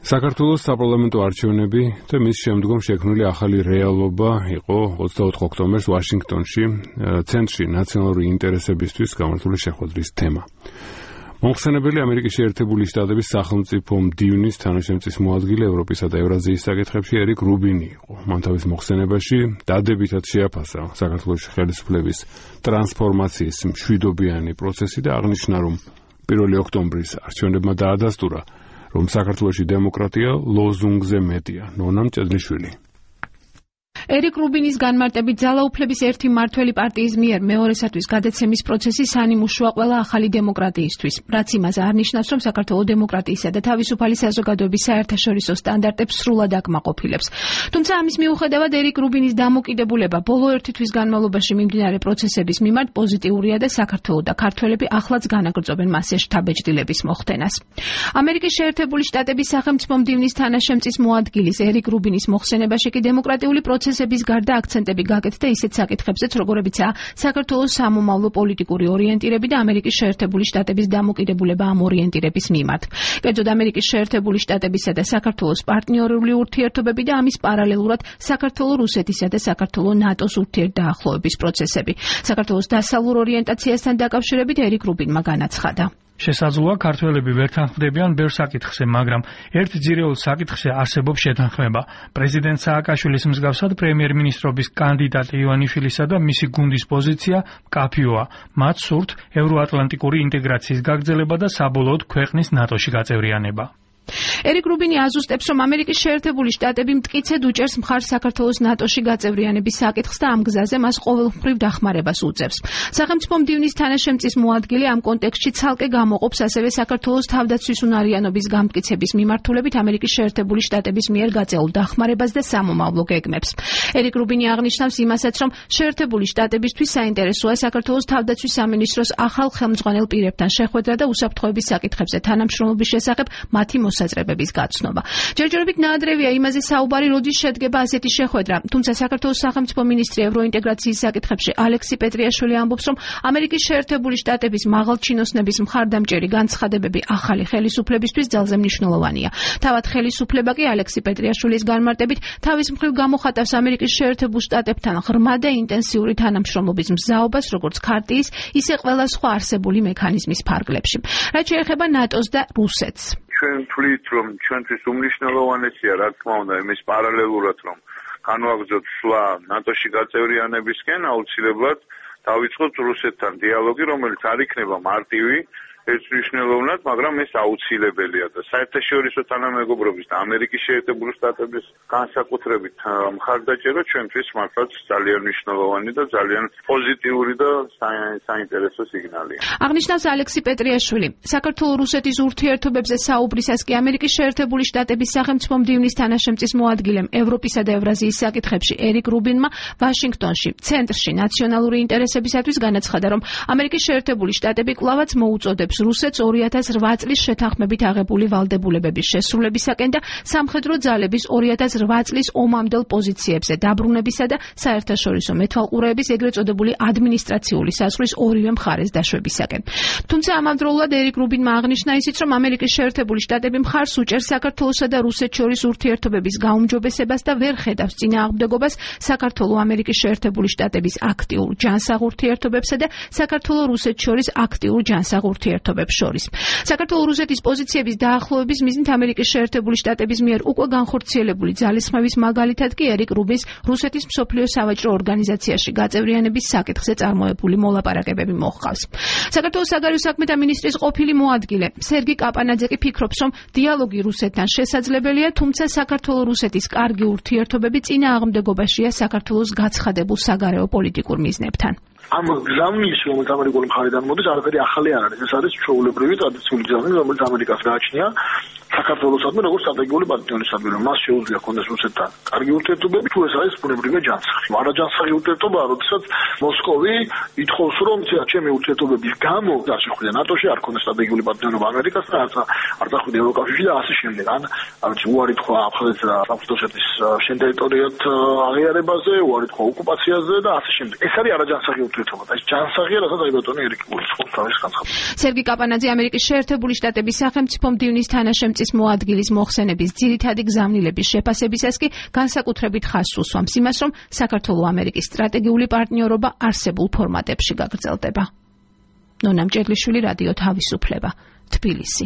საქართველოს საპარლამენტო არჩევნები და მის შემდგომ შექმნილი ახალი რეალობა იყო 24 ოქტომბერს ვაშინგტონში ცენტრში ნაციონალური ინტერესებისთვის გამართული შეხვედრის თემა. მომხსენებელი ამერიკის შეერთებული შტატების სახელმწიფო მდივნის თანაშემწის მოადგილე ევროპისა და ევრაზიის საკითხებში ერიკ რუბინი იყო. მან თავის მოხსენებაში დადებითად შეაფასა საქართველოს ხელისუფლების ტრანსფორმაციის მშვიდობიანი პროცესი და აღნიშნა, რომ 1 ოქტომბრის არჩევნებმა დაადასტურა, რომ საქართველოში დემოკრატია ლოზუნგზე მეტია. ნონა მჭედლიშვილი. ერიკ რუბინის განმარტებით ძალაუფლების ერთი მმართველი პარტიის მიერ მეორესათვის გადაცემის პროცესი სანიმუშოა ყველა ახალი დემოკრატიისთვის, რაც იმას არ ნიშნავს, რომ საქართველოს დემოკრატიისა და თავისუფალი საზოგადოების საერთაშორისო სტანდარტებს სრულად აკმაყოფილებს. თუმცა ამის მიუხედავად ერიკ რუბინის დამოკიდებულება ბოლო ერთი თვის განმავლობაში მიმდინარე პროცესების მიმართ პოზიტიურია და საქართველოს და ქართველები ახლაც განაგრძობენ მასზე შთაბეჭდილების მოხდენას. ამერიკის შეერთებული შტატების სახელმწიფო მდივნის თანაშემწის მოადგილის ერიკ რუბინის მოხსენებაში კი დემოკრატიული პროცესების გარდა აქცენტები გაკეთდა ისეთ საკითხებზეც, როგორებიცაა საქართველოს სამომავლო პოლიტიკური ორიენტირები და ამერიკის შეერთებული შტატების დამოკიდებულება ამ ორიენტირების მიმართ. კერძოდ ამერიკის შეერთებული შტატებისა და საქართველოს პარტნიორული ურთიერთობები და ამის პარალელურად საქართველოს რუსეთისა და საქართველოს ნატოს ურთიერთდაახლოების პროცესები. საქართველოს დასავლურ ორიენტაციასთან დაკავშირებით ერიკ რუბინმა განაცხადა. შესაძლოა ქართველები ვერ თანხმდებიან ბევრ საკითხზე, მაგრამ ერთ ძირეულ საკითხზე არსებობს შეთანხმება. პრეზიდენტ სააკაშვილის მსგავსად პრემიერ-მინისტრობის კანდიდატ ივანიშვილისა და მისი გუნდის პოზიცია მკაფიოა. მათ სურთ ევროატლანტიკური ინტეგრაციის გაგრძელება და საბოლოოდ ქვეყნის ნატოში გაწევრიანება. ერიკ რუბინი აზუსტებს, რომ ამერიკის შეერთებული შტატები მტკიცედ უჭერს მხარს საქართველოს ნატოში გაწევრიანების საკითხს და ამ გზაზე მას ყოველმხრივ დახმარებას უწევს. სახელმწიფო მდივნის თანაშემწის მოადგილე ამ კონტექსტში ცალკე გამოყოფს ასევე საქართველოს თავდაცვის უნარიანობის გამტკიცების მიმართულებით ამერიკის შეერთებული შტატების მიერ გაწეულ დახმარებას და სამომავლო გეგმებს. ერიკ რუბინი აღნიშნავს იმასაც, რომ შეერთებული შტატებისთვის საინტერესოა საქართველოს თავდაცვის სამინისტროს ახალ ხელმძღვანელ პირებთან შეხვედრა და უსაფრთხოების საკითხებზე თანამშრომლობის შესახებ მათი მოსაზრებების გაცნობა. ჯერჯერობით ნაადრევია იმაზე საუბარი, როდის შედგება ასეთი შეხვედრა. თუმცა საქართველოს სახელმწიფო მინისტრი ევროინტეგრაციის საკითხებში ალექსი პეტრიაშვილი ამბობს, რომ ამერიკის შეერთებული შტატების მაღალჩინოსნების მხარდამჭერი განცხადებები ახალი ხელისუფლებისთვის ძალზე მნიშვნელოვანია. თავად ხელისუფლება კი ალექსი პეტრიაშვილის განმარტებით თავის მხრივ გამოხატავს ამერიკის შეერთებულ შტატებთან ღრმა და ინტენსიური თანამშრომლობის მზაობას, როგორც ქარტიის, ისე ყველა სხვა არსებული მექანიზმის ფარგლებში. რაც შეეხება ნატოს და რუსეთს. ჩვენ ვთვლით, რომ ჩვენთვის უმნიშვნელოვანესია, რა თქმა უნდა, იმის პარალელურად, რომ განვაგრძოთ სვლა ნატოში გაწევრიანებისკენ, აუცილებლად დავიწყოთ რუსეთთან დიალოგი, რომელიც არ იქნება მარტივი, ეს მნიშვნელოვნად, მაგრამ ეს აუცილებელია და საერთაშორისო თანამეგობრობის და ამერიკის შეერთებული შტატების განსაკუთრებით მხარდაჭერა ჩვენთვის მართლაც ძალიან მნიშვნელოვანი და ძალიან პოზიტიური და საინტერესო სიგნალია. აღნიშნავს ალექსი პეტრიაშვილი. საქართველოს-რუსეთის ურთიერთობებზე საუბრისას კი ამერიკის შეერთებული შტატების სახელმწიფო მდივნის თანაშემწის მოადგილემ ევროპისა და ევრაზიის საკითხებში ერიკ რუბინმა ვაშინგტონში, ცენტრში ნაციონალური ინტერესებისათვის განაცხადა, რომ ამერიკის შეერთებული შტატები კვლავაც მოუწოდებს რუსეთს 2008 წლის შეთანხმებით აღებული ვალდებულებების შესრულებისაკენ და სამხედრო ძალების 2008 წლის ომამდელ პოზიციებზე დაბრუნებისა და საერთაშორისო მეთვალყურეების ეგრეთ წოდებული ადმინისტრაციული საზღვრის ორივე მხარეს დაშვებისაკენ. თუმცა ამავდროულად ერიკ რუბინმა აღნიშნა ისიც, რომ ამერიკის შეერთებული შტატები მხარს უჭერს საქართველოსა და რუსეთს შორის ურთიერთობების გაუმჯობესებას და ვერ ხედავს წინააღმდეგობას საქართველოს ამერიკის შეერთებული შტატების აქტიურ ჯანსაღ ურთიერთობებსა და საქართველოს რუსეთს შორის აქტიურ ჯანსაღ ურთიერთობებს შორის. საქართველოს რუსეთის პოზიციების დაახლოების მიზნით ამერიკის შეერთებული შტატების მიერ უკვე განხორციელებული ძალისხმევის მაგალითად კი ერიკ რუბინს რუსეთის მსოფლიო სავაჭრო ორგანიზაციაში გაწევრიანების საკითხზე წარმოებული მოლაპარაკებები მოჰყავს. საქართველოს საგარეო საქმეთა მინისტრის ყოფილი მოადგილე სერგი კაპანაძე კი ფიქრობს, რომ დიალოგი რუსეთთან შესაძლებელია, თუმცა საქართველოს-რუსეთის კარგი ურთიერთობები წინააღმდეგობაშია საქართველოს გაცხადებულ საგარეო პოლიტიკურ მიზნებთან. ამ გზამნის, რომელიც ამერიკული მხარიდან მოდის, არაფერი ახალი არ არის. ეს არის ჩვეულებრივი ტრადიციული გზამი, რომელიც ამერიკას გააჩნია საქართველოსადმი როგორც სტრატეგიული პარტნიორისადმი, რომ მას შეუძლია ქონდეს რუსეთთან კარგი ურთიერთობები, თუ ეს არის ბუნებრივი ჯანსაღი. არაჯანსაღი ურთიერთობაა, როდესაც მოსკოვი ითხოვს, რომ ჩემი ურთიერთობების გამო არ შეხვიდე ნატოში, არ ქონდეს სტრატეგიული პარტნიორობა ამერიკასთან, არ წახვიდე ევროკავშირში და ასე შემდეგ. უარი თქვა აფხაზეთის და სამცხე-თუშეთის შენ ტერიტორიად აღიარებაზე, უარი თქვა ოკუპაციაზე და ასე შემდეგ. ეს არის არაჯანსაღი ურთიერთობა. ეს ჯანსაღია, რასაც აი ბატონი ერიკ რუბინი თავის განცხადებს. სერგი კაპანაძე ამერიკის შეერთებული შტატების სახელმწიფო მდივნის თანაშემწის ტანაშემწის მოადგილის მოხსენების ძირითადი გზავნილების შეფასებისას კი განსაკუთრებით ხაზს უსვამს იმას, რომ საქართველო-ამერიკის სტრატეგიული პარტნიორობა არსებულ ფორმატებში გაგრძელდება. ნონა მჭედლიშვილი, რადიო თავისუფლება, თბილისი.